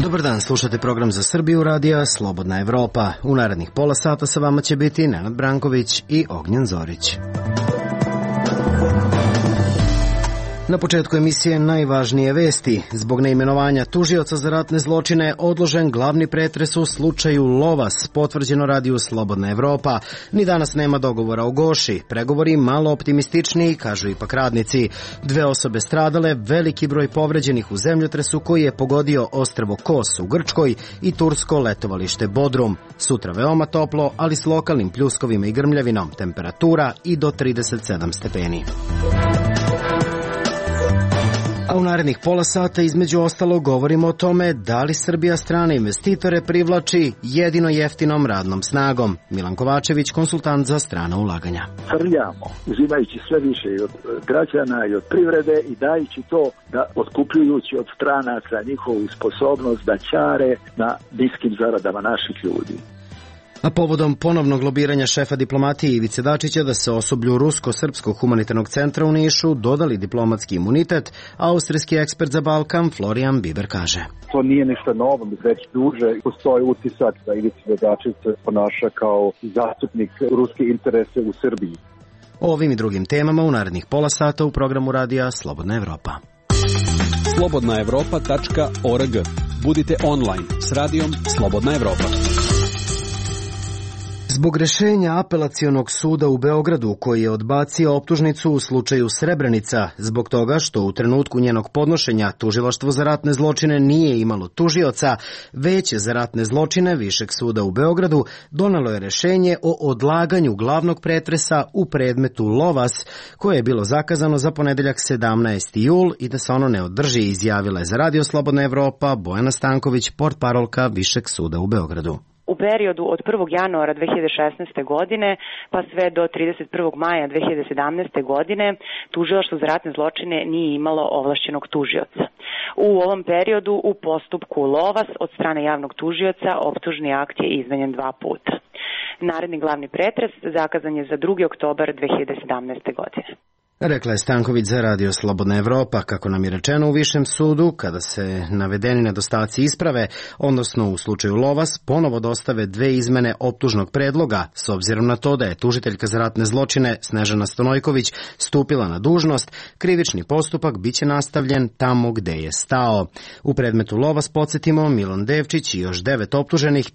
Dobar dan, slušate program za Srbiju radija Slobodna Evropa. U narednih pola sata sa vama će biti Nenad Branković i Ognjen Zorić. Na početku emisije najvažnije vesti. Zbog neimenovanja tužioca za ratne zločine odložen glavni pretres u slučaju Lovas, potvrđeno radiju Slobodna Evropa. Ni danas nema dogovora o Goši. Pregovori malo optimističniji, kažu ipak radnici. 2 osobe stradale, veliki broj povređenih u zemljotresu koji je pogodio ostrvo Kos u Grčkoj i tursko letovalište Bodrum. Sutra veoma toplo, ali s lokalnim pljuskovima i grmljavinom. Temperatura i do 37 stepeni. A u narednih pola sata između ostalog govorimo o tome da li Srbija strane investitore privlači jedino jeftinom radnom snagom. Milan Kovačević, konsultant za strana ulaganja. Trljamo, uzimajući sve više i od građana i od privrede i dajući to da otkupljujući od stranaca njihovu sposobnost da ćare na niskim zaradama naših ljudi. A povodom ponovnog lobiranja šefa diplomatije Ivice Dačića da se osoblju Rusko-srpskog humanitarnog centra u Nišu dodali diplomatski imunitet, austrijski ekspert za Balkan Florian Biber kaže. To nije ništa novo, već duže postoji utisak da Ivica Dačić se ponaša kao zastupnik ruske interese u Srbiji. O ovim i drugim temama u narednih pola sata u programu radija Slobodna Evropa. slobodnaevropa.org. Budite online s radijom Slobodna Evropa. Zbog rešenja apelacionog suda u Beogradu koji je odbacio optužnicu u slučaju Srebrenica, zbog toga što u trenutku njenog podnošenja Tužilaštvo za ratne zločine nije imalo tužioca, Veće za ratne zločine Višeg suda u Beogradu donelo je rešenje o odlaganju glavnog pretresa u predmetu Lovas, koje je bilo zakazano za ponedeljak 17. jul i da se ono ne održi, izjavila je za Radio Slobodna Evropa Bojana Stanković, portparolka Višeg suda u Beogradu. U periodu od 1. januara 2016. godine pa sve do 31. maja 2017. godine Tužilaštvo za ratne zločine nije imalo ovlašćenog tužioca. U ovom periodu u postupku Lovas od strane javnog tužioca optužni akt je izmenjen 2 puta. Naredni glavni pretres zakazan je za 2. oktobar 2017. godine. Rekla je Stanković za Radio Slobodna Evropa. Kako nam je rečeno u Višem sudu, kada se navedeni nedostaci isprave, odnosno u slučaju Lovas, ponovo dostave 2 izmene optužnog predloga, s obzirom na to da je tužiteljka za ratne zločine Snežana Stonojković stupila na dužnost, krivični postupak biće nastavljen tamo gde je stao. U predmetu Lovas, podsjetimo, Milan Devčić i još 9 optuženih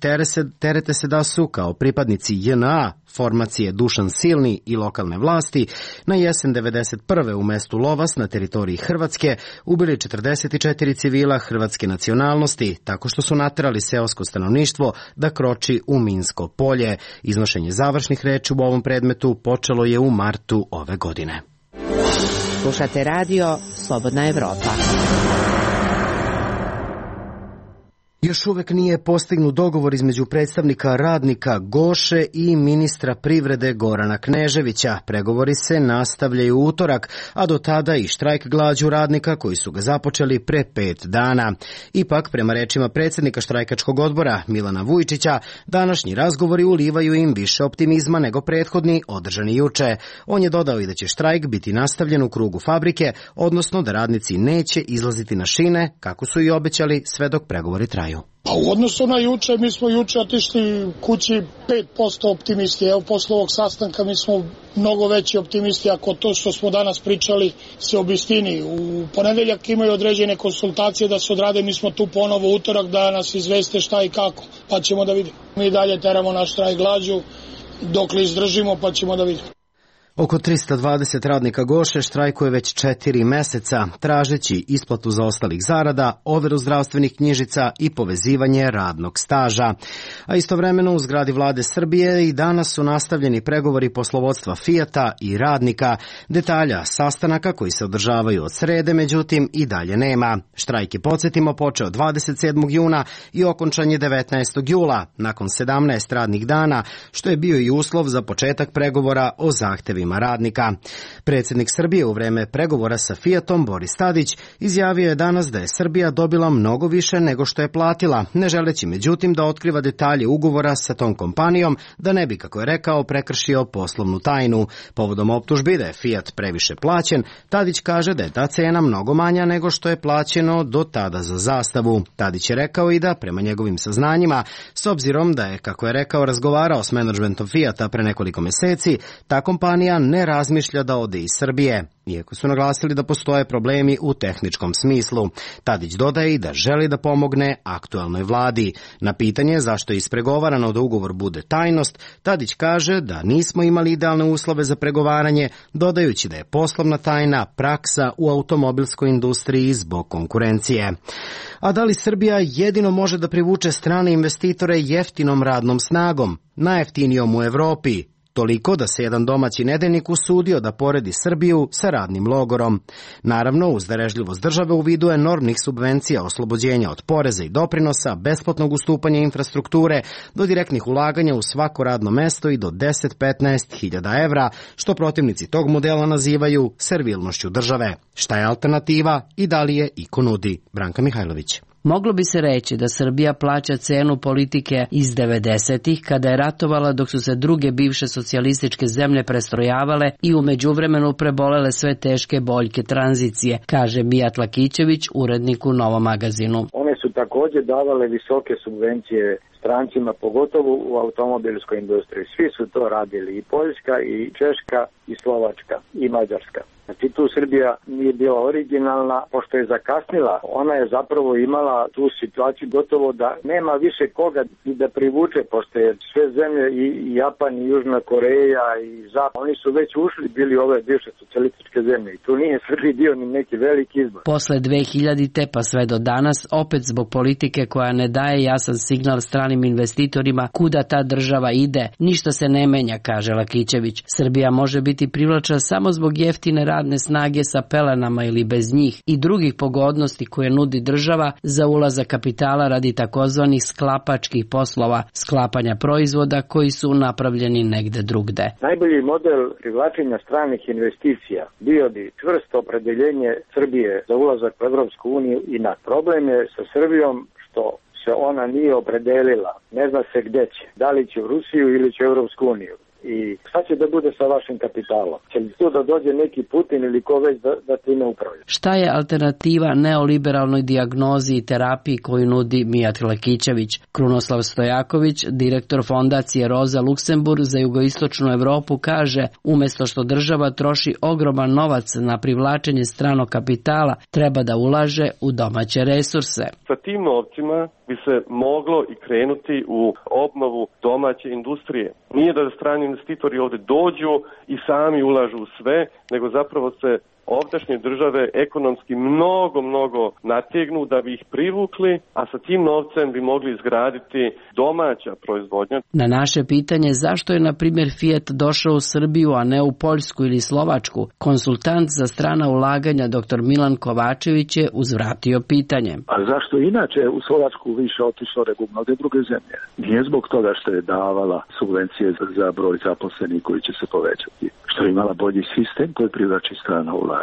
terete se da su kao pripadnici JNA, formacije Dušan Silni i lokalne vlasti, na jesen 1991. u mestu Lovas na teritoriji Hrvatske ubili 44 civila hrvatske nacionalnosti tako što su naterali seosko stanovništvo da kroči u minsko polje. Iznošenje završnih reči u ovom predmetu počelo je u martu ove godine. Slušate radio Slobodna Evropa. Još uvek nije postignut dogovor između predstavnika radnika Goše i ministra privrede Gorana Kneževića. Pregovori se nastavljaju u utorak, a do tada i štrajk glađu radnika koji su ga započeli pre 5 dana. Ipak, prema rečima predsjednika štrajkačkog odbora Milana Vujčića, današnji razgovori ulivaju im više optimizma nego prethodni održani juče. On je dodao i da će štrajk biti nastavljen u krugu fabrike, odnosno da radnici neće izlaziti na šine, kako su i obećali, sve dok pregovori traju. Pa u odnosu na juče, mi smo juče otišli kući 5% optimisti. Evo, posle ovog sastanka mi smo mnogo veći optimisti ako to što smo danas pričali se obistini. U ponedeljak imaju određene konsultacije da se odrade, mi smo tu ponovo utorak da nas izveste šta i kako, pa ćemo da vidimo. Mi dalje teramo naš štrajk glađu dok li izdržimo, pa ćemo da vidimo. Oko 320 radnika Goše štrajkuje već 4 meseca, tražeći isplatu zaostalih zarada, overu zdravstvenih knjižica i povezivanje radnog staža. A istovremeno u zgradi vlade Srbije i danas su nastavljeni pregovori poslovodstva Fijata i radnika. Detalja sastanaka koji se održavaju od srede, međutim, i dalje nema. Štrajk je, podsjetimo, počeo 27. juna i okončan je 19. jula, nakon 17 radnih dana, što je bio i uslov za početak pregovora o zahtevima pravima radnika. Predsjednik Srbije u vreme pregovora sa Fiatom, Boris Tadić, izjavio je danas da je Srbija dobila mnogo više nego što je platila, ne želeći međutim da otkriva detalje ugovora sa tom kompanijom, da ne bi, kako je rekao, prekršio poslovnu tajnu. Povodom optužbi da je Fiat previše plaćen, Tadić kaže da je ta cena mnogo manja nego što je plaćeno do tada za zastavu. Tadić je rekao i da, prema njegovim saznanjima, s obzirom da je, kako je rekao, razgovarao s menadžmentom Fiata pre nekoliko meseci, ta kompanija ne razmišlja da ode iz Srbije, iako su naglasili da postoje problemi u tehničkom smislu. Tadić dodaje i da želi da pomogne aktuelnoj vladi. Na pitanje zašto je ispregovarano da ugovor bude tajnost, Tadić kaže da nismo imali idealne uslove za pregovaranje, dodajući da je poslovna tajna praksa u automobilskoj industriji zbog konkurencije. A da li Srbija jedino može da privuče strane investitore jeftinom radnom snagom, najjeftinijom u Evropi? Toliko da se jedan domaći nedeljnik usudio da poredi Srbiju sa radnim logorom. Naravno, uz darežljivost države u vidu enormnih subvencija, oslobođenja od poreza i doprinosa, besplatnog ustupanja infrastrukture, do direktnih ulaganja u svako radno mesto i do 10-15 hiljada evra, što protivnici tog modela nazivaju servilnošću države. Šta je alternativa i da li je iko nudi? Branka Mihajlović. Moglo bi se reći da Srbija plaća cenu politike iz 90-ih, kada je ratovala dok su se druge bivše socijalističke zemlje prestrojavale i u međuvremenu prebolele sve teške boljke tranzicije, kaže Mijat Lakićević, urednik u Novom magazinu. One su također davale visoke subvencije strancima, pogotovo u automobilskoj industriji. Svi su to radili, i Poljska, i Češka, i Slovačka, i Mađarska. Znači tu Srbija nije bila originalna, pošto je zakasnila, ona je zapravo imala tu situaciju gotovo da nema više koga da privuče, pošto je sve zemlje i Japan i Južna Koreja i Zapad, oni su već ušli, bili ove bivše socijalističke zemlje i tu nije Srbiji bio ni neki veliki izbor. Posle 2000-te pa sve do danas, opet zbog politike koja ne daje jasan signal stranim investitorima kuda ta država ide, ništa se ne menja, kaže Lakićević. Srbija može biti privlačna samo zbog jeftine radne snage sa pelenama ili bez njih i drugih pogodnosti koje nudi država za ulazak kapitala radi takozvanih sklapačkih poslova, sklapanja proizvoda koji su napravljeni negde drugde. Najbolji model privlačenja stranih investicija bio bi čvrsto opredeljenje Srbije za ulazak u Evropsku uniju i na problem je sa Srbijom što se ona nije opredelila, ne zna se gde će, da li će u Rusiju ili će u Evropsku uniju. I šta će da bude sa vašim kapitalom? Će li tu da dođe neki Putin ili ko već da time upravlja? Šta je alternativa neoliberalnoj dijagnozi i terapiji koju nudi Mijat Lakićević? Krunoslav Stojaković, direktor fondacije Roza Luksemburg za jugoistočnu Evropu, kaže, umesto što država troši ogroman novac na privlačenje stranog kapitala, treba da ulaže u domaće resurse. Sa tim novcima bi se moglo i krenuti u obnovu domaće industrije. Nije da strani investitori ovdje dođu i sami ulažu u sve, nego zapravo se ovdašnje države ekonomski mnogo nategnu da bi ih privukli, a sa tim novcem bi mogli izgraditi domaća proizvodnja. Na naše pitanje zašto je, na primjer, Fiat došao u Srbiju, a ne u Poljsku ili Slovačku, konsultant za strana ulaganja dr. Milan Kovačević je uzvratio pitanje. A zašto inače u Slovačku više otišlo nego u mnoge druge zemlje? Nije zbog toga što je davala subvencije za broj zaposlenih koji će se povećati, što je imala bolji sistem koji privlači strana ulaganja.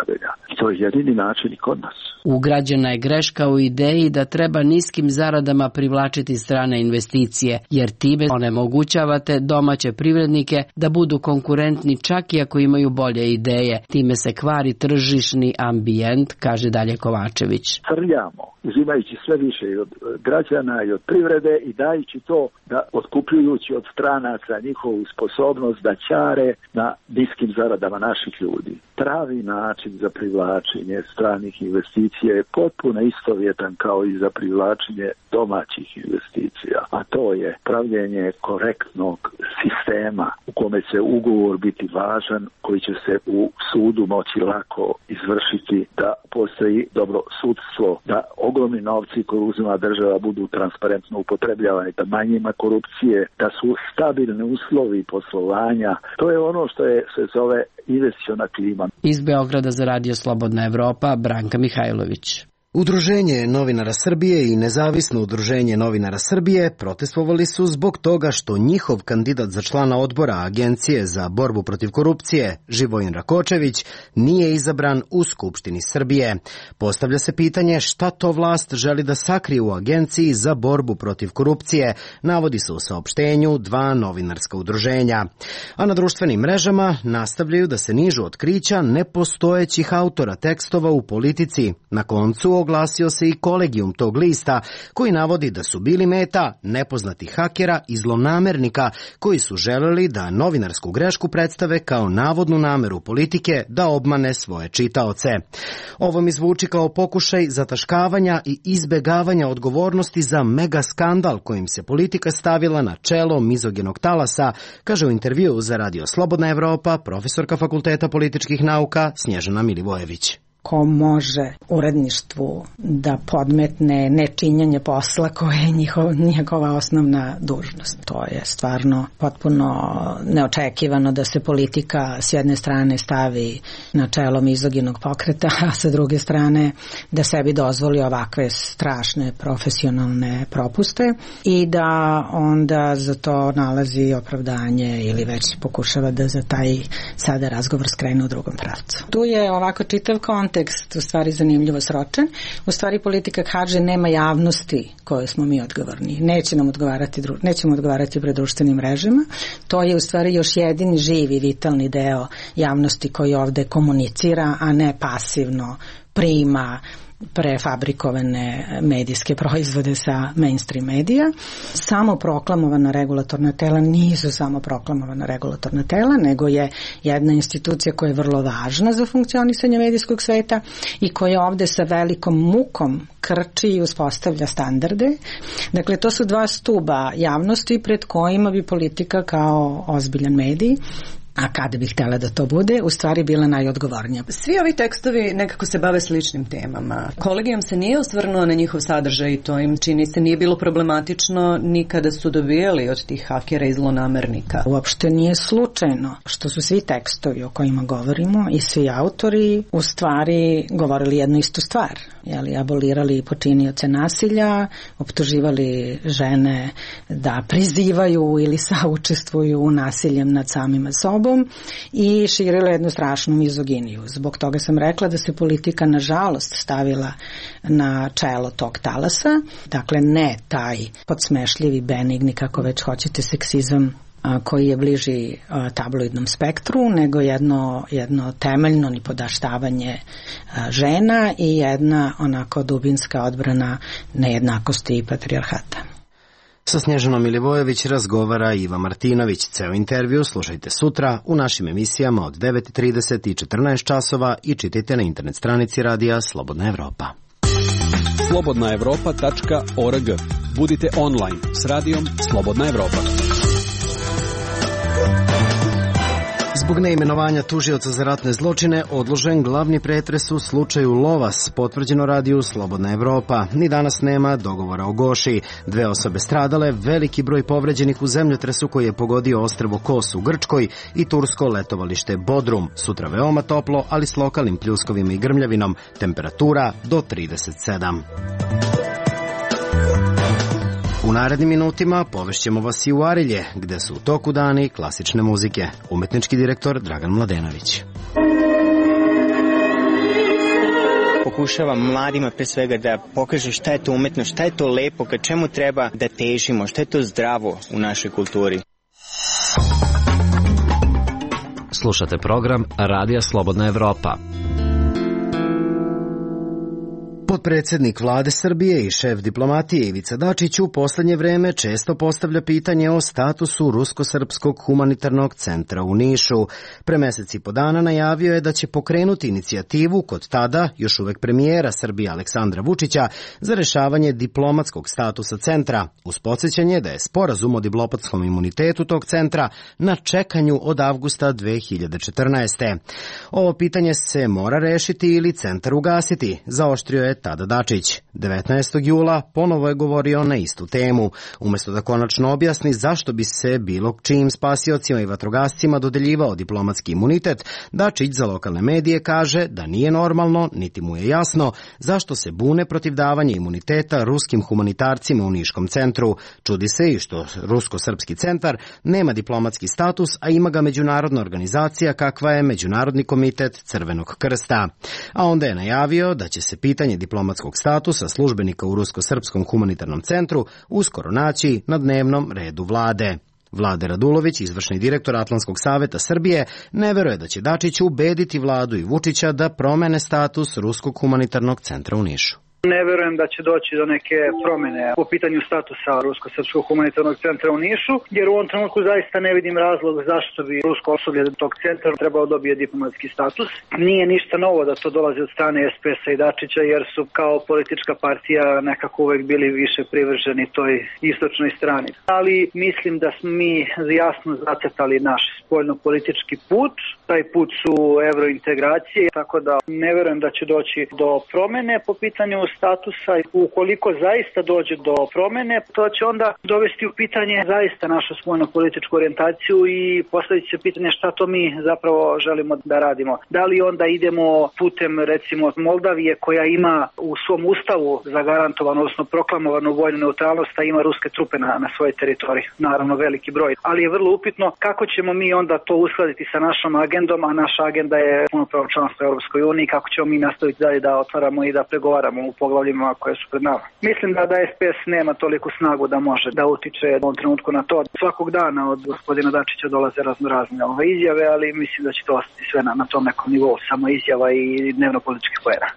I to je jedini način i kod nas. Ugrađena je greška u ideji da treba niskim zaradama privlačiti strane investicije, jer time onemogućavate domaće privrednike da budu konkurentni čak i ako imaju bolje ideje. Time se kvari tržišni ambijent, kaže dalje Kovačević. Srljamo, uzimajući sve više i od građana i od privrede i dajući to da otkupljujući od stranaca njihovu sposobnost da ćare na niskim zaradama naših ljudi. Pravi način za privlačenje stranih investicija je potpuno istovjetan kao i za privlačenje domaćih investicija, a to je pravljenje korektnog sistema u kome će ugovor biti važan, koji će se u sudu moći lako izvršiti, da postoji dobro sudstvo, da ogromni novci koje uzima država budu transparentno upotrebljavani, da manje ima korupcije, da su stabilni uslovi poslovanja. To je ono što se zove investiciona klima. Iz Beograda za Radio Slobodna Evropa, Branka Mihajlović. Udruženje novinara Srbije i Nezavisno udruženje novinara Srbije protestovali su zbog toga što njihov kandidat za člana odbora Agencije za borbu protiv korupcije, Živojin Rakočević, nije izabran u Skupštini Srbije. Postavlja se pitanje šta to vlast želi da sakrije u Agenciji za borbu protiv korupcije, navodi se u saopštenju dva novinarska udruženja. A na društvenim mrežama nastavljaju da se nižu otkrića nepostojećih autora tekstova u politici. Na koncu oglasio se i kolegijum tog lista koji navodi da su bili meta nepoznatih hakera i zlonamernika koji su želeli da novinarsku grešku predstave kao navodnu nameru politike da obmane svoje čitaoce. Ovo mi zvuči kao pokušaj zataškavanja i izbegavanja odgovornosti za mega skandal kojim se politika stavila na čelo mizogenog talasa, kaže u intervjuu za Radio Slobodna Evropa profesorka Fakulteta političkih nauka Snježana Milivojević. Ko može uredništvu da podmetne nečinjenje posla koje je njegova osnovna dužnost. To je stvarno potpuno neočekivano da se politika s jedne strane stavi na čelo mizoginog pokreta, a sa druge strane da sebi dozvoli ovakve strašne profesionalne propuste i da onda za to nalazi opravdanje ili već pokušava da za taj sada razgovor skrene u drugom pravcu. Tu je ovako čitav kontekst u stvari zanimljivo sročen. U stvari politika kaže nema javnosti koje smo mi odgovorni. Nećemo odgovarati pred društvenim mrežama. To je u stvari još jedini živi, vitalni deo javnosti koji ovde komunicira, a ne pasivno prima prefabrikovane medijske proizvode sa mainstream medija. Samo proklamovana regulatorna tela nisu samo proklamovana regulatorna tela, nego je jedna institucija koja je vrlo važna za funkcionisanje medijskog sveta i koja ovde sa velikom mukom krči i uspostavlja standarde. Dakle, to su dva stuba javnosti pred kojima bi politika kao ozbiljan medij, a kada bih htjela da to bude, u stvari bila najodgovornija. Svi ovi tekstovi nekako se bave sličnim temama. Kolegijum se nije osvrnuo na njihov sadržaj i to im čini se nije bilo problematično ni kada su dobijali od tih hakera i zlonamernika. Uopšte nije slučajno što su svi tekstovi o kojima govorimo i svi autori u stvari govorili jednu istu stvar. Abolirali počinioce nasilja, optuživali žene da prizivaju ili saučestvuju u nasiljem nad samima sobom i širila jednu strašnu mizoginiju. Zbog toga sam rekla da se politika nažalost stavila na čelo tog talasa, dakle ne taj podsmešljivi, benigni, kako već hoćete, seksizam koji je bliži tabloidnom spektru, nego jedno temeljno nipodaštavanje žena i jedna onako dubinska odbrana nejednakosti i patrijarhata. Sa Snježanom Milivojević razgovara Iva Martinović. Ceo intervju slušajte sutra u našim emisijama od 9:30 i 14 časova i čitajte na internet stranici Radija Slobodna Evropa. slobodnaevropa.org. Budite online s Radijom Slobodna Evropa. Zbog neimenovanja tužioca za ratne zločine odložen glavni pretres u slučaju Lovas, potvrđeno Radiju Slobodna Evropa. Ni danas nema dogovora o Goši. 2 osobe stradale, veliki broj povređenih u zemljotresu koji je pogodio ostrvo Kos u Grčkoj i tursko letovalište Bodrum. Sutra veoma toplo, ali s lokalnim pljuskovima i grmljavinom. Temperatura do 37. U narednim minutima povešćemo vas i u Arilje, gde su u toku dani klasične muzike. Umetnički direktor Dragan Mladenović. Pokušavam mladima pre svega da pokažu šta je to umetnost, šta je to lepo, ka čemu treba da težimo, šta je to zdravo u našoj kulturi. Slušate program Radija Slobodna Evropa. Potpredsednik Vlade Srbije i šef diplomatije Ivica Dačić u poslednje vreme često postavlja pitanje o statusu Rusko-srpskog humanitarnog centra u Nišu. Pre mesec i po dana najavio je da će pokrenuti inicijativu kod tada još uvek premijera Srbije Aleksandra Vučića za rešavanje diplomatskog statusa centra, uz podsjećanje da je sporazum o diplomatskom imunitetu tog centra na čekanju od avgusta 2014. Ovo pitanje se mora rešiti ili centar ugasiti, zaoštrio je tada Rada Dačić. 19. jula ponovo je govorio na istu temu. Umesto da konačno objasni zašto bi se bilo čijim spasiocima i vatrogascima dodeljivao diplomatski imunitet, Dačić za lokalne medije kaže da nije normalno, niti mu je jasno zašto se bune protiv davanja imuniteta ruskim humanitarcima u Niškom centru. Čudi se i što Rusko-srpski centar nema diplomatski status, a ima ga međunarodna organizacija kakva je Međunarodni komitet Crvenog krsta. A onda je najavio da će se pitanje diplomatskog statusa službenika u Rusko-srpskom humanitarnom centru uskoro naći na dnevnom redu vlade. Vlade Radulović, izvršni direktor Atlantskog saveta Srbije, ne veruje da će Dačić ubediti vladu i Vučića da promene status Ruskog humanitarnog centra u Nišu. Ne verujem da će doći do neke promene po pitanju statusa Rusko-srpskog humanitarnog centra u Nišu, jer u ovom trenutku zaista ne vidim razlog zašto bi rusko osoblje tog centra trebao dobije diplomatski status. Nije ništa novo da to dolazi od strane SPS-a i Dačića, jer su kao politička partija nekako uvek bili više privrženi toj istočnoj strani. Ali mislim da smo mi jasno zacrtali naš spoljno-politički put. Taj put su evrointegracije, tako da ne verujem da će doći do promene po pitanju statusa. Ukoliko zaista dođe do promene, to će onda dovesti u pitanje zaista našu spoljno-političku orijentaciju i postaviti se pitanje šta to mi zapravo želimo da radimo. Da li onda idemo putem recimo Moldavije koja ima u svom ustavu zagarantovano, odnosno proklamovanu vojnu neutralnost, a ima ruske trupe na svojoj teritoriji, naravno veliki broj. Ali je vrlo upitno kako ćemo mi onda to uskladiti sa našom agendom, a naša agenda je punopravno članstvo u Europskoj uniji, kako ćemo mi nastaviti dalje da otvaramo i da pregovaramo u poglavljima koje su pred nama. Mislim da SPS nema toliku snagu da može da utiče u ovom trenutku na to. Svakog dana od gospodina Dačića dolaze razne izjave, ali mislim da će to ostati sve na tom nekom nivou, samo izjava i dnevno političkih poena.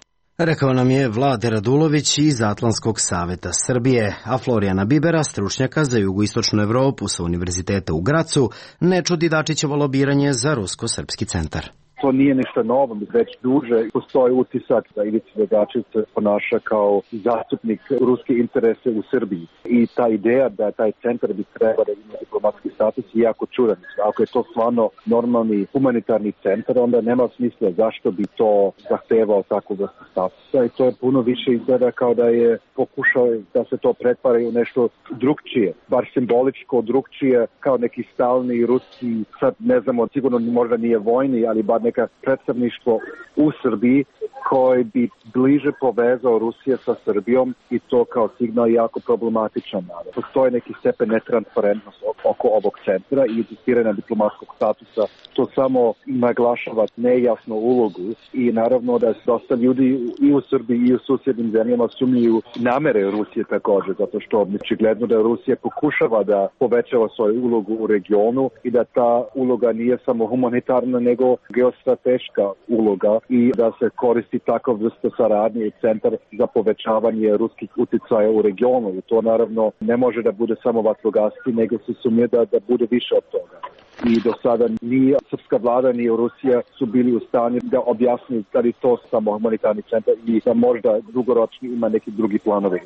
Rekao nam je Vlade Radulović iz Atlantskog saveta Srbije, a Florijana Bibera, stručnjaka za jugoistočnu Evropu sa Univerziteta u Gracu, ne čudi Dačićevo lobiranje za Rusko-srpski centar. To nije ništa novo, već duže postoji utisak da Ivica Dačić se ponaša kao zastupnik ruske interese u Srbiji. I ta ideja da taj centar bi trebao da ima diplomatski status je jako čudan. Ako je to stvarno normalni humanitarni centar, onda nema smisla zašto bi to zahtevao tako vrstu statusa. I to je puno više izgleda kao da je pokušao da se to pretvara u nešto drugčije, bar simboličko drugčije, kao neki stalni ruski, sad ne znamo, sigurno možda nije vojni, ali bar neka predstavništvo u Srbiji koji bi bliže povezao Rusije sa Srbijom i to kao signal jako problematičan. Postoji neki stepen netransparentnosti oko ovog centra i insistiranja diplomatskog statusa. To samo naglašava nejasnu ulogu i naravno da dosta ljudi i u Srbiji i u susjednim zemljama sumnjuju namere Rusije također, zato što očigledno da Rusija pokušava da povećava svoju ulogu u regionu i da ta uloga nije samo humanitarna nego geostrateška uloga i da se koristi takav vrsta saradnje i centar za povećavanje ruskih uticaja u regionu. I to naravno ne može da bude samo vatrogasci, nego se sumnje da bude više od toga. I do sada ni srpska vlada ni Rusija su bili u stanju da objasni da li to samo humanitarni centar i da možda dugoročno ima neki drugi planovi.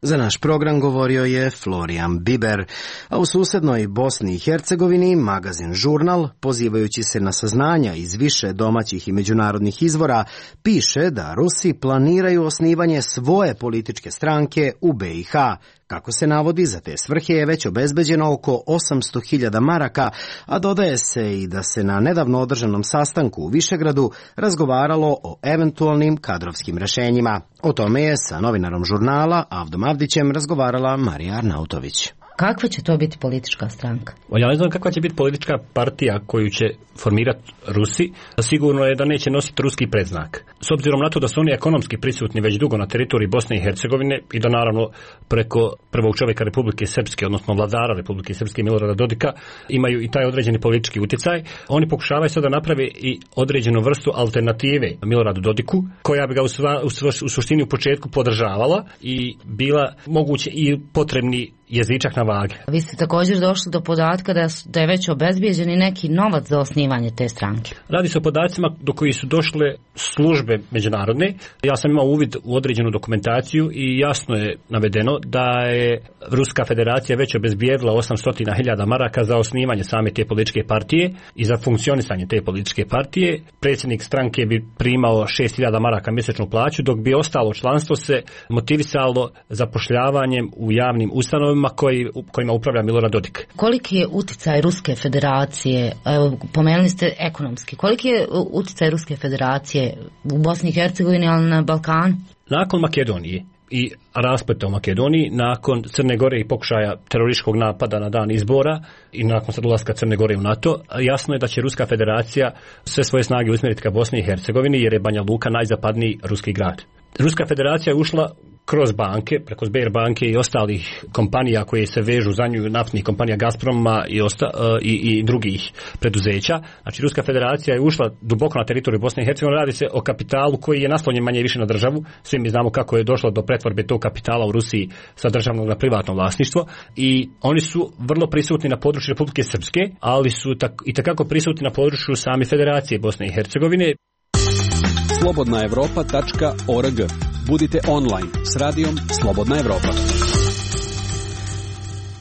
Za naš program govorio je Florijan Biber, a u susednoj Bosni i Hercegovini magazin Žurnal, pozivajući se na saznanja iz više domaćih i međunarodnih izvora, piše da Rusi planiraju osnivanje svoje političke stranke u BiH. Kako se navodi, za te svrhe je već obezbeđeno oko 800.000 maraka, a dodaje se i da se na nedavno održanom sastanku u Višegradu razgovaralo o eventualnim kadrovskim rešenjima. O tome je sa novinarom Žurnala Avdom Avdićem razgovarala Marija Arnautović. Kakva će to biti politička stranka? Ja ne znam kakva će biti politička partija koju će formirati Rusi. Sigurno je da neće nositi ruski predznak. S obzirom na to da su oni ekonomski prisutni već dugo na teritoriji Bosne i Hercegovine i da naravno preko prvog čovjeka Republike Srpske, odnosno vladara Republike Srpske Milorada Dodika, imaju i taj određeni politički utjecaj. Oni pokušavaju sada da naprave i određenu vrstu alternative Miloradu Dodiku, koja bi ga u suštini u početku podržavala i bila moguće i potrebni jezičak na vage. Vi ste također došli do podatka da je već obezbijeđen i neki novac za osnivanje te stranke. Radi se o podacima do koji su došle službe međunarodne. Ja sam imao uvid u određenu dokumentaciju i jasno je navedeno da je Ruska federacija već obezbijedila 800.000 maraka za osnivanje same te političke partije i za funkcionisanje te političke partije. Predsjednik stranke bi primao 6.000 maraka mjesečnu plaću, dok bi ostalo članstvo se motivisalo zapošljavanjem u javnim ustanovama kojima upravlja Milorad Dodik. Koliki je uticaj Ruske federacije, evo, pomenuli ste ekonomski, koliki je uticaj Ruske federacije u Bosni i Hercegovini, ali na Balkanu? Nakon Makedonije i raspleta u Makedoniji, nakon Crne Gore i pokušaja terorističkog napada na dan izbora i nakon sad ulaska Crne Gore u NATO, jasno je da će Ruska federacija sve svoje snage usmjeriti ka Bosni i Hercegovini, jer je Banja Luka najzapadniji ruski grad. Ruska federacija je ušla kroz banke, preko Sberbanke i ostalih kompanija koje se vežu za nju, naftnih kompanija Gazproma i drugih preduzeća. Znači, Ruska federacija je ušla duboko na teritoriju Bosne i Hercegovine. Radi se o kapitalu koji je naslonjen manje više na državu. Svi mi znamo kako je došlo do pretvorbe tog kapitala u Rusiji sa državnog na privatno vlasništvo i oni su vrlo prisutni na području Republike Srpske, ali su itekako prisutni na području same Federacije Bosne i Hercegovine. slobodnaevropa.org. Budite online s radijom Slobodna Evropa.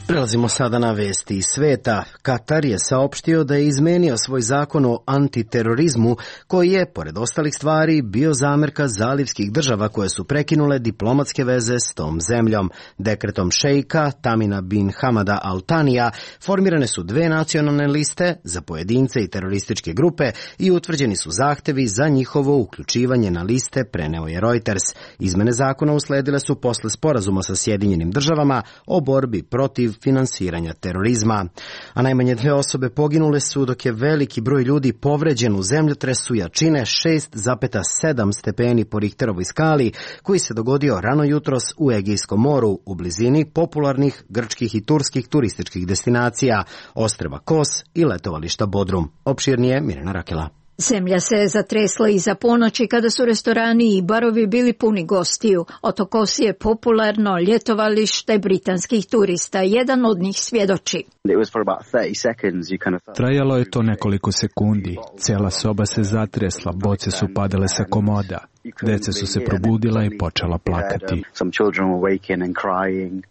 Prelazimo sada na vesti iz sveta. Katar je saopštio da je izmenio svoj zakon o antiterorizmu, koji je, pored ostalih stvari, bio zamerka zalivskih država koje su prekinule diplomatske veze s tom zemljom. Dekretom šejka Tamina bin Hamada Al Tanija formirane su 2 nacionalne liste za pojedince i terorističke grupe i utvrđeni su zahtevi za njihovo uključivanje na liste, preneo je Reuters. Izmene zakona usledile su posle sporazuma sa Sjedinjenim državama o borbi protiv finansiranja terorizma. A najmanje 2 osobe poginule su, dok je veliki broj ljudi povređen u zemljotresu jačine 6,7 stepeni po Richterovoj skali, koji se dogodio rano jutros u Egejskom moru, u blizini popularnih grčkih i turskih turističkih destinacija, ostrva Kos i letovališta Bodrum. Opširnije Mirjana Rakela. Zemlja se je zatresla iza ponoći kada su restorani i barovi bili puni gostiju. Otok Kos je popularno ljetovalište britanskih turista. Jedan od njih svjedoči. Trajalo je to nekoliko sekundi. Cijela soba se zatresla, boce su padale sa komoda. Deca su se probudila i počela plakati.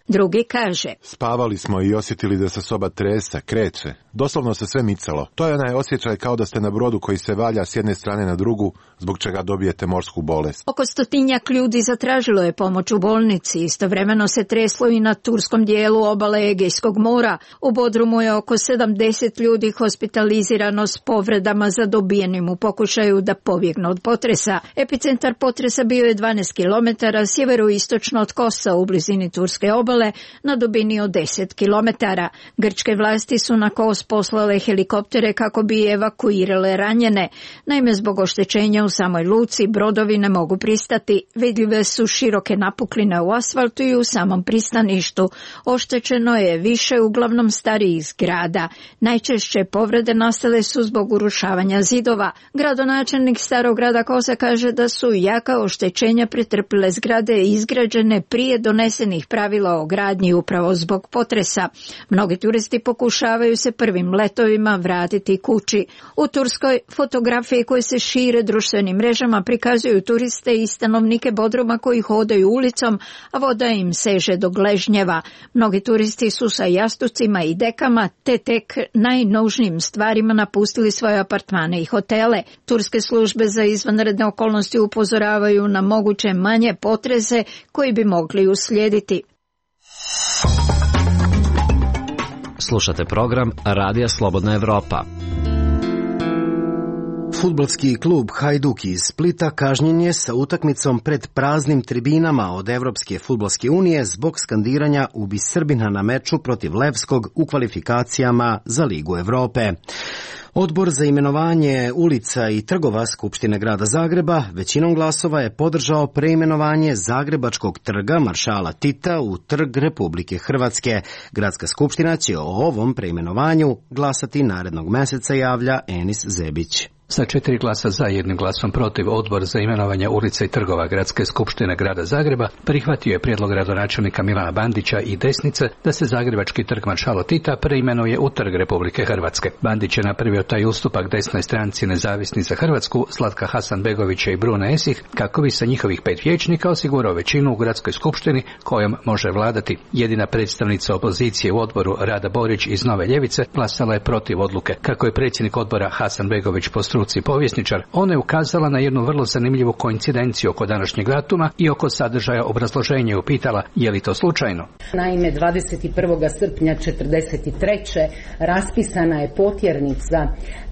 Drugi kaže: spavali smo i osjetili da se soba tresa, kreće. Doslovno se sve micalo. To je onaj osjećaj kao da ste na brodu koji se valja s jedne strane na drugu, zbog čega dobijete morsku bolest. Oko 100 ljudi zatražilo je pomoć u bolnici. Istovremeno se treslo i na turskom dijelu obale Egejskog mora. U Bodrumu je oko 70 ljudi hospitalizirano s povredama zadobijenim u pokušaju da pobjegnu od potresa. Epicentar potresa bio je 12 km sjeveroistočno od Kosa u blizini turske obale na dubini od 10 km. Grčke vlasti su na Kos poslale helikoptere kako bi evakuirale ranjene. Naime, zbog oštećenja u samoj luci brodovi ne mogu pristati. Vidljive su široke napukline u asfaltu i u samom pristaništu. Oštećeno je više uglavnom starijih zgrada. Najčešće povrede nastale su zbog urušavanja zidova. Gradonačelnik starog grada Kosa kaže da su jaka oštećenja pretrpile zgrade izgrađene prije donesenih pravila o gradnji upravo zbog potresa. Mnogi turisti pokušavaju se prvim letovima vratiti kući. U Turskoj fotografije koje se šire društvenim mrežama prikazuju turiste i stanovnike Bodruma koji hodaju ulicom, a voda im seže do gležnjeva. Mnogi turisti su sa jastucima i dekama te tek najnužnijim stvarima napustili svoje apartmane i hotele. Turske službe za izvanredne okolnosti upozoravaju na moguće manje potrese koji bi mogli uslijediti. Slušate program Radija Slobodna Evropa. Fudbalski klub Hajduk iz Splita kažnjen je sa utakmicom pred praznim tribinama od Evropske fudbalske unije zbog skandiranja "Ubi Srbina" na meču protiv Levskog u kvalifikacijama za Ligu Evrope. Odbor za imenovanje ulica i trgova Skupštine grada Zagreba većinom glasova je podržao preimenovanje Zagrebačkog trga Maršala Tita u Trg Republike Hrvatske. Gradska skupština će o ovom preimenovanju glasati narednog meseca, javlja Enis Zebić. Sa 4 glasa za, 1 glasom protiv, odbor za imenovanje ulica i trgova Gradske skupštine grada Zagreba prihvatio je prijedlog gradonačelnika Milana Bandića i desnice da se Zagrebački trg Maršala Tita preimenuje u Trg Republike Hrvatske. Bandić je napravio taj ustupak desnoj stranci Nezavisni za Hrvatsku, Slatka Hasanbegovića i Brune Esih, kako bi sa njihovih 5 vijećnika osigurao većinu u Gradskoj skupštini kojom može vladati. Jedina predstavnica opozicije u odboru, Rada Borić iz Nove ljevice, glasala je protiv odluke. Kako je predsjednik odbora Hasanbegović po struci povjesničar, ona je ukazala na jednu vrlo zanimljivu koincidenciju oko današnjeg datuma i oko sadržaja obrazloženja i upitala je li to slučajno. Naime, 21. srpnja 1943. raspisana je potjernica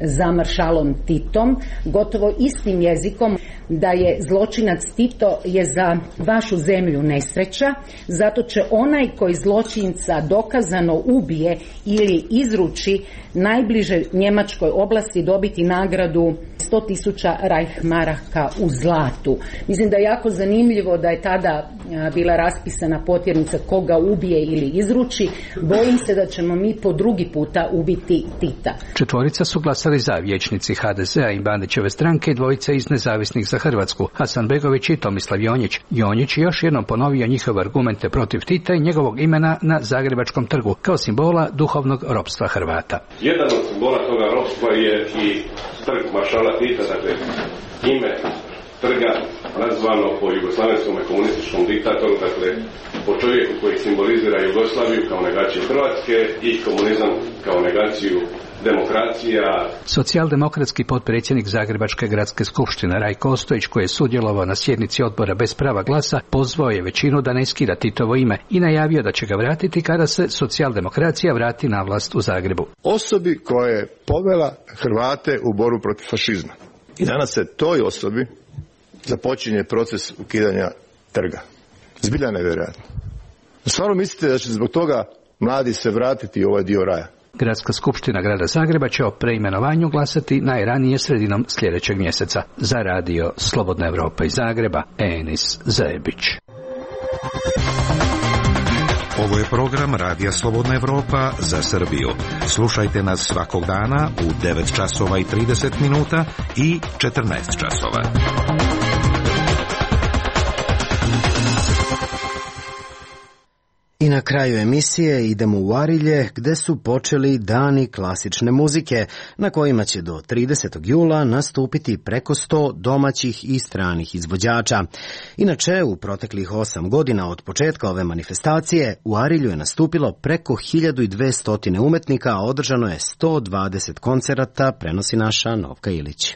za maršalom Titom, gotovo istim jezikom, da je zločinac Tito je za vašu zemlju nesreća, zato će onaj koji zločinca dokazano ubije ili izruči najbliže njemačkoj oblasti dobiti nagradu 100.000 Reichmaraka u zlatu. Mislim da je jako zanimljivo da je tada bila raspisana potjernica koga ubije ili izruči. Bojim se da ćemo mi po drugi puta ubiti Tita. 4 su glasali za, vijećnici HDZ-a i Bandićeve stranke i 2 iz Nezavisnih za Hrvatsku, Hasanbegović i Tomislav Jonjić. Jonjić je još jednom ponovio njihove argumente protiv Tita i njegovog imena na Zagrebačkom trgu kao simbola duhovnog ropstva Hrvata. Jedan od simbola toga ropstva je i trg Maršala Tita, dakle ime trga nazvano po jugoslavenskom komunističkom diktatoru, dakle po čovjeku koji simbolizira Jugoslaviju kao negaciju Hrvatske i komunizam kao negaciju demokracija. Socijaldemokratski potpredsjednik Zagrebačke gradske skupštine Rajko Ostojić, koji je sudjelovao na sjednici odbora bez prava glasa, pozvao je većinu da ne skida Titovo ime i najavio da će ga vratiti kada se socijaldemokracija vrati na vlast u Zagrebu. Osobi koja je povela Hrvate u borbu protiv fašizma. I danas se toj osobi započinje proces ukidanja trga. Zbilja nevjerojatno. Stvarno mislite da će zbog toga mladi se vratiti u ovaj dio raja? Gradska skupština grada Zagreba će o preimenovanju glasati najranije sredinom sljedećeg mjeseca. Za radio Slobodna Evropa iz Zagreba, Enis Zajebić. Ovo je program Radija Slobodna Evropa za Srbiju. Slušajte nas svakog dana u 9 časova i 30 minuta i 14 časova. I na kraju emisije idemo u Arilje, gde su počeli dani klasične muzike, na kojima će do 30. jula nastupiti preko 100 domaćih i stranih izvođača. Inače, u proteklih 8 godina od početka ove manifestacije, u Arilju je nastupilo preko 1200 umetnika, a održano je 120 koncerata, prenosi naša Novka Ilić.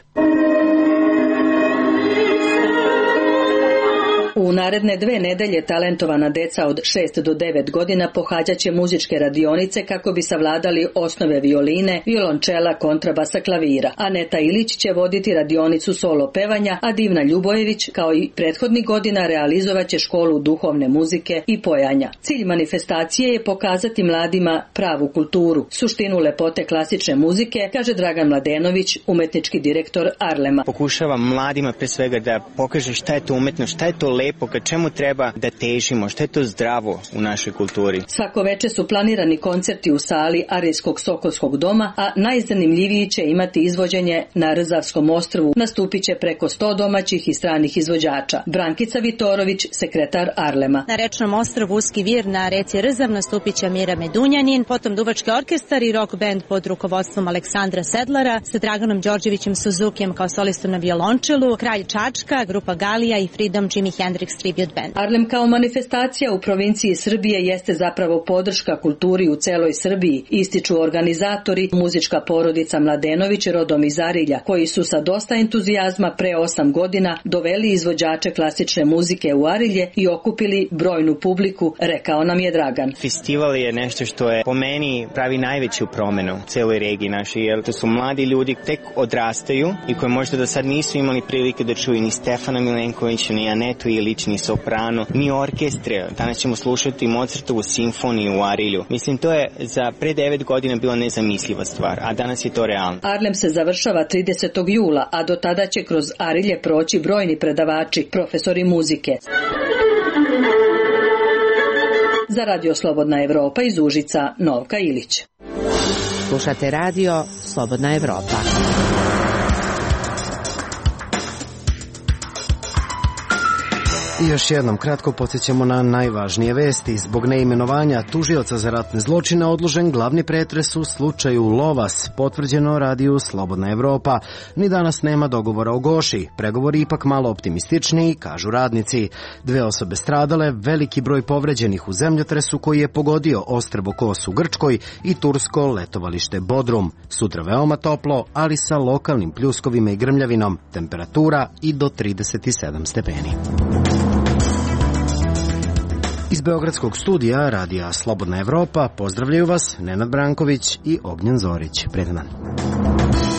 U naredne 2 nedelje talentovana deca od 6 do 9 godina pohađaće muzičke radionice kako bi savladali osnove violine, violončela, kontrabasa, klavira. Aneta Ilić će voditi radionicu solo pevanja, a Divna Ljubojević, kao i prethodnih godina, realizovaće školu duhovne muzike i pojanja. Cilj manifestacije je pokazati mladima pravu kulturu, suštinu lepote klasične muzike, kaže Dragan Mladenović, umetnički direktor Arlema. Pokušavam mladima pre svega da pokaže šta je to umetnost, šta je to lepo, ka čemu treba da težimo, šta je to zdravo u našoj kulturi. Svako veče su planirani koncerti u sali Arijskog Sokolskog doma, a najzanimljiviji će imati izvođenje na Rzavskom ostrvu. Nastupit će preko 100 domaćih i stranih izvođača. Brankica Vitorović, sekretar Arlema. Na rečnom ostrvu Uski vir na reci Rzav nastupit će Mira Medunjanin, potom Duvački orkestar i rock band pod rukovodstvom Aleksandra Sedlara sa Draganom Đorđevićem Suzukijem kao solistom na violončelu, Kralj Čačka, grupa Galija i Freedom Jimi Hendrix Tribute Band. Arlem kao manifestacija u provinciji Srbije jeste zapravo podrška kulturi u celoj Srbiji, ističu organizatori, muzička porodica Mladenović rodom iz Arilja, koji su sa dosta entuzijazma pre 8 godina doveli izvođače klasične muzike u Arilje i okupili brojnu publiku, rekao nam je Dragan. Festival je nešto što je po meni pravi najveću promenu u celoj regiji našoj, jer to su mladi ljudi tek odrastaju i koji možda do sad nisu imali prilike da čuju ni Stefana Milenkovića, ni Anetu Ilić, ni soprano, ni orkestre. Danas ćemo slušati Mozartovu simfoniju u Arilju. Mislim, to je za pre 9 godina bila nezamisliva stvar, a danas je to realno. Arlem se završava 30. jula, a do tada će kroz Arilje proći brojni predavači, profesori muzike. Za Radio Slobodna Evropa iz Užica, Novka Ilić. Slušate radio Slobodna Evropa. I još jednom kratko podsjećamo na najvažnije vesti. Zbog neimenovanja tužioca za ratne zločine odložen glavni pretres u slučaju Lovas, potvrđeno radiju Slobodna Evropa. Ni danas nema dogovora o Goši. Pregovori ipak malo optimističniji, kažu radnici. 2 osobe stradale, veliki broj povređenih u zemljotresu koji je pogodio ostrvo Kos u Grčkoj i tursko letovalište Bodrum. Sutra veoma toplo, ali sa lokalnim pljuskovima i grmljavinom. Temperatura i do 37 stepeni. Iz Beogradskog studija radija Slobodna Evropa pozdravljaju vas Nenad Branković i Ognjen Zorić. Prijatan dan.